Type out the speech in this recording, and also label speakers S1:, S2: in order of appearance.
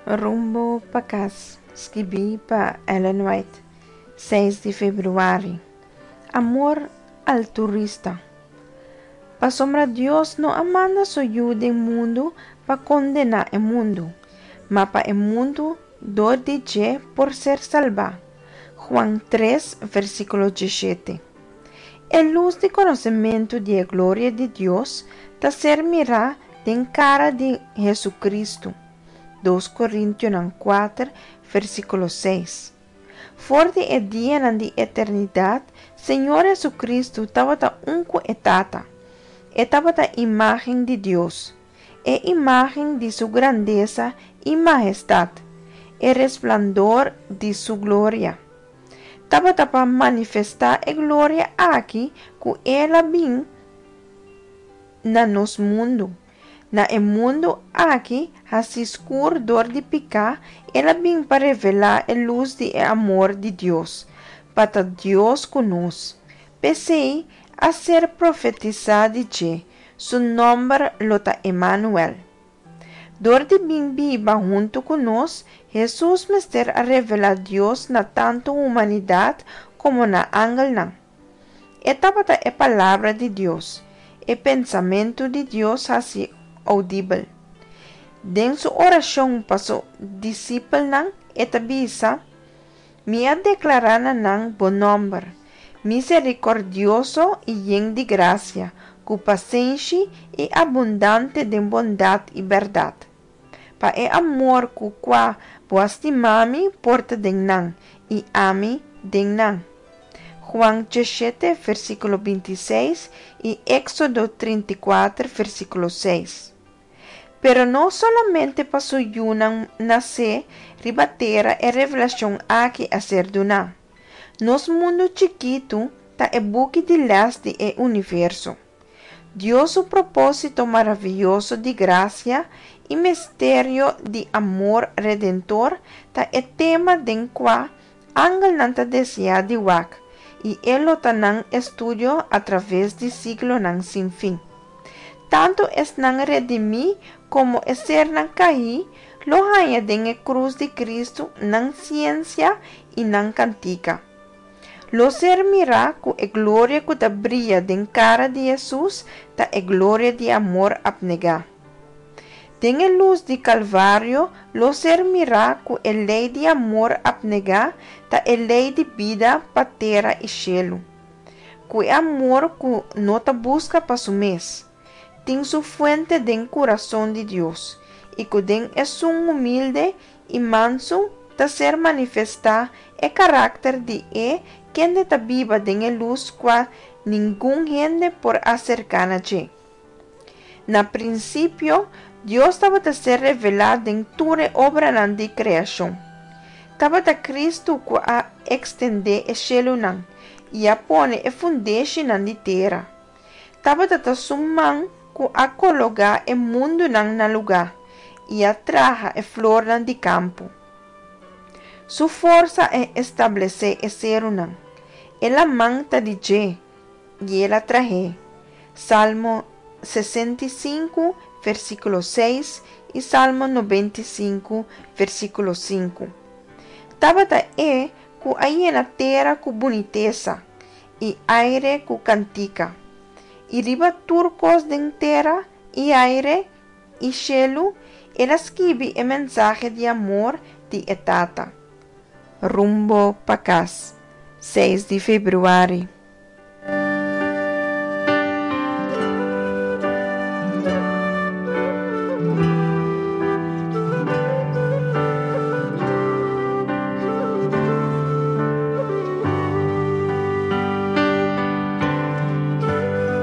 S1: Rumbo pa kas, skibí pa Ellen White, seis di febrüari. Amor alturista. Pasobra Dios no a manda su Yu den mundu pa kondená e mundu, ma pa e mundu dor di dje por ser salbá. Juan tres, versíkulo diesshete. E lus di konosementu di e gloria di Dios ta ser mirá den kara di Hesu-Kristu. Dos Korintionan kuater, versíkulo seis. For di e dianan di eternidat, Señor Hesu-Kristu tabata un ku e Tata. E tabata imágen di Dios, e imágen di Su grandesa i mahestat, e resplandor di Su gloria. Tabata pa manifestá e gloria aki ku El a bin na nos mundu. Na e mundu aki hasi skur dor di piká, El a bin pa revelá e lus di e amor di Dios, pa ta Dios ku nos. P'esei, a ser profetisá di dje, Su nòmber lo ta Emanuel. Dor di bin biba huntu ku nos, Hesus mester a revelá Dios na tantu humanidat komo na angelnan. E tabata e Palabra di Dios, e pensamentu di Dios hasi oudibel. Den su orashon pa su disipelnan, e ta bisa, Mi a deklará na nan bo nòmber, miserikòrdioso i yen di grasia, ku pasenshi i abundante den bondat i bèrdat. Pa e amor ku kua bo a stima mi por ta den nan, i ami den nan. Juan djeshete, versíkulo bintiseis i Éksodo 34, versíkulo seis. Pero no solamente pa su yunan nasé riba tera e revelashon aki a ser duná. Nos mundu chikitu ta e buki di lès di e universo. Dios su propósito maravioso di grasia i misterio di amor redentor ta e tema den kua angelnan ta deseá di wak, i e lo ta nan estudio atraves di siglonan sin fin. Tantu esnan redimí komo e sernan kaí lo haña den e krus di Kristu nan siensia i nan kantika. Lo ser mirá ku e gloria ku ta bria den kara di Hesus ta e gloria di amor apnegá. Den e lus di Kalvario lo ser mirá ku e lei di amor apnegá ta e lei di bida pa tera i shelu. Ku e amor ku no ta buska pa su mes, tin su fuente den kurason di Dios i ku den esun humilde i mansu ta ser manifestá e karakter di e kende ta biba den e lus kua ningun hende por aserká na dje. Na prinsipio, Dios tabata ser revelá den tur e obranan di kreashon. Tabata Kristu ku a ekstendé e shelunan i a pone e fundeshinan di tera. Tabata ta su man ku a kologá e mundunan na lugá i a traha e flornan di kampo. Su forsa a establesé e serunan. E laman ta di dje, i el a trah'é. Salmo 65, versíkulo 6 i Salmo 95, versíkulo 5. Tabata e ku a yena tera ku bunitesa i aire ku kantika. I riba tur kos den tera i aire i shelu el a skibi e mensahe di amor di e Tata. Rumbo pa kas, seis di febrüari.